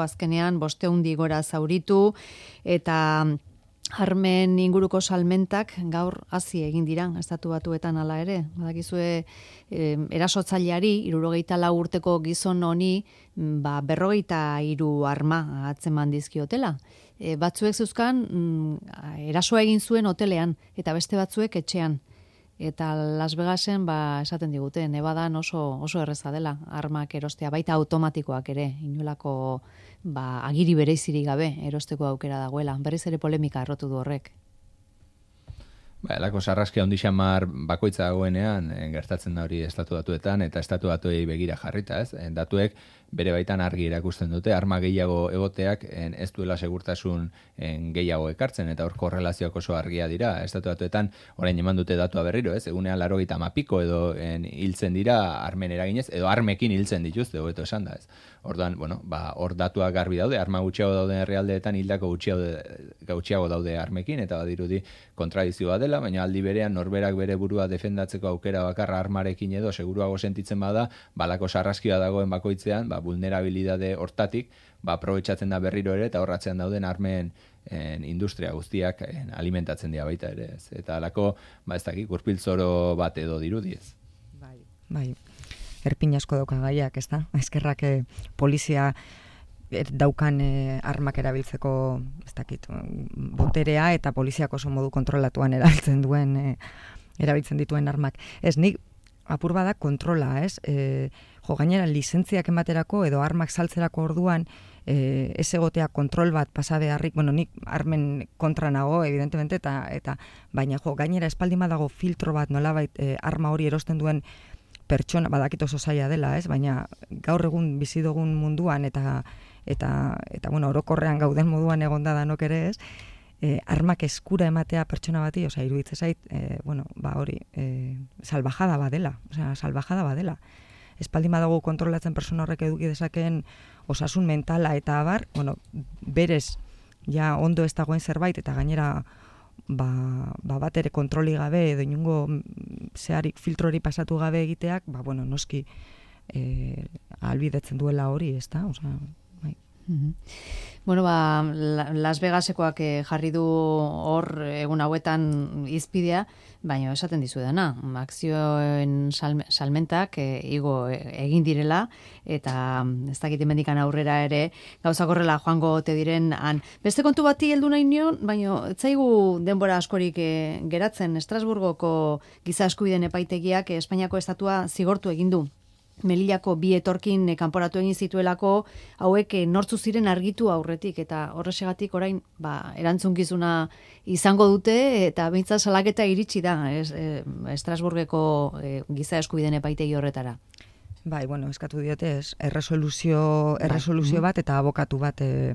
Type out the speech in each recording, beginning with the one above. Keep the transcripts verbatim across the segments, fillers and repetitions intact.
azkenean bostehundi gora zauritu, eta armen inguruko salmentak gaur hazi egin dira, estatu batuetan hala ere. Badakizue, eh, erasotzaileari, hirurogeita lau urteko gizon honi, ba, berrogeita hiru arma atzeman dizkiotela. E, batzuek zeuzkan, mm, erasoa egin zuen hotelean, eta beste batzuek etxean. Eta Las Vegasen, ba, esaten digute, Nevadan oso, oso erreza dela, armak erostea, baita automatikoak ere, inolako ba, agiri bereizirik gabe erosteko aukera dagoela. Berriz ere polemika errotu du horrek. Ba, elako sarraskia ondi xamar bakoitza dagoenean, gertatzen da hori estatu batuetan, eta estatu batuei begira jarrita, ez? Datuek bere baitan argi erakusten dute, arma gehiago egoteak ez duela segurtasun gehiago ekartzen, eta hor korrelazioak oso argia dira. Estatu batuetan orain eman dute datua berriro, ez? Egunean laurogeita hamar piko edo en, hiltzen dira armen eraginez, edo armekin hiltzen dituzte, hobeto esan da, ez? Orduan, bueno, ba, hor datuak garbi daude, arma gutxiago dauden herrialdeetan hildako gutxiago daude armekin, eta badirudi kontradizioa dela, baina aldi berean norberak bere burua defendatzeko aukera bakarra armarekin edo seguruago sentitzen bada, balako sarraskioa dagoen bakoitzean, ba, vulnerabilidade hortatik, ba, aprobetxatzen da berriro ere, eta horratzean dauden armen en, industria guztiak en, alimentatzen dira baita ere, ez. Eta alako, ba, ez dakik, gurpiltzoro bat edo dirudiez. Bai, bai. Erpin asko dauka gaiak, ez da? Eskerrak eh, polizia daukan eh, armak erabiltzeko, ez dakit, boterea eta poliziak oso modu kontrolatuan erabiltzen duen, eh, erabiltzen dituen armak. Ez, nik apur bada kontrola, ez? E, jo, gainera, lizentziak ematerako edo armak saltzerako orduan, e, ez egotea kontrol bat pasa beharrik, bueno, nik armen kontra nago, evidentemente, eta, eta baina, jo, gainera espaldi dago filtro bat nolabait e, arma hori erosten duen pertsona, badakit oso zaila dela, ez? Baina gaur egun bizi dugun munduan eta eta eta bueno, orokorrean gauden moduan egonda danok ere, ez? Eh, armak eskura ematea pertsona bati, osea, iruditzen zait, eh, bueno, ba hori, eh, salvajada badela, osea, salvajada badela. Espaldi badago kontrolatzen pertsona horrek eduki dezakeen osasun mentala eta abar, bueno, berez ja ondo ez dagoen zerbait eta gainera ba, ba bat ere kontroli gabe edo inungo zeharik filtrori pasatu gabe egiteak, ba bueno, noski eh, albidetzen duela hori, ezta? Osea, bai. Mm-hmm. Bueno, ba, Las Vegasekoak jarri du hor egun hauetan izpidea, baina esaten dizu dena, akzioen salmentak e, igo egin direla, eta ez dakit hemendikan aurrera ere gauzak horrela joango ote diren han. Beste kontu bati heldu nahi nion, baina ez zaigu denbora askorik e, geratzen. Estrasburgoko giza eskubideen epaitegiak e, Espainiako estatua zigortu egin du. Melillako bi etorkin kanporatu egin zituelako, hauek nortzu ziren argitu aurretik, eta horrexegatik orain ba, erantzunkizuna izango dute, eta behintzat salaketa iritsi da es, e, Estrasburgeko e, giza eskubideen epaitegi horretara. Bai, bueno, eskatu diote, ez, erresoluzio, erresoluzio bat eta abokatu bat e,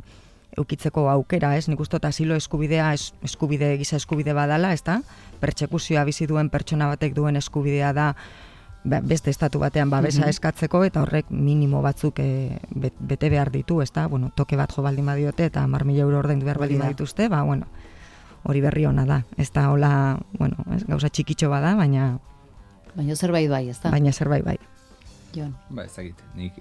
eukitzeko aukera, ez? Nik uste dut asilo eskubidea es, eskubide, giza eskubide badala, ez da? Pertsekuzioa bizi duen pertsona batek duen eskubidea da beste estatu batean babesa eskatzeko, eta horrek minimo batzuk e, bete behar ditu, ez da? Bueno, toke bat jo baldin badiote eta hamar mila euro ordaindu behar baldin badituzte, ba, bueno, hori berri ona da. Ez da, hola, bueno, ez, gauza txikitxo bada, baina... Baina zerbait bai, ez da? Baina zerbait bai. Jon. Ba, ez dakit, nik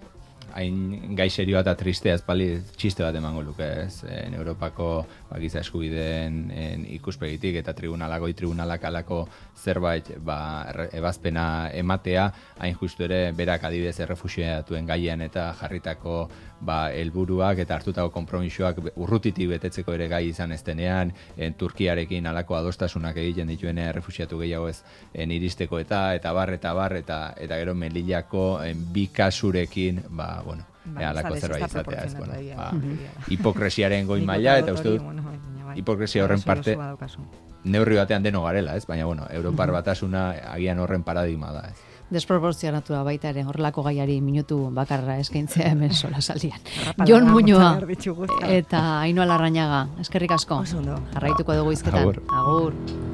hain gai serioa eta tristea ezpali txiste bat emango luke, ez? En Europako ba, giza eskubideen en, ikuspegitik eta tribunalagoi tribunalak alako zerbait ba, ebazpena ematea, hain justu ere berak adibidez errefuxiatuen gaian eta jarritako ba, helburuak eta hartutako konpromisoak urrutitik betetzeko ere gai izan eztenean, en, Turkiarekin alako adostasunak egiten dituen errefuxiatu gehiago ez en, iristeko eta eta bar eta bar eta, eta gero Melillako en, bi kasurekin ba, bueno, Ba, alako zerbait izatea, ez, bueno, ba, uh-huh. hipokresiaren goi maila, eta uste dut, hipokresia horren parte, neurri batean deno garela, ez, baina, bueno, Europar batasuna agian horren paradigma da, ez. Desproporzionatua baita ere, horrelako gaiari minutu bakarra eskaintzea hemen sola saldian. Jon Muñoa eta Ainhoa Larrañaga, eskerrik asko. Jarraituko dugu izketan. Agur. Agur.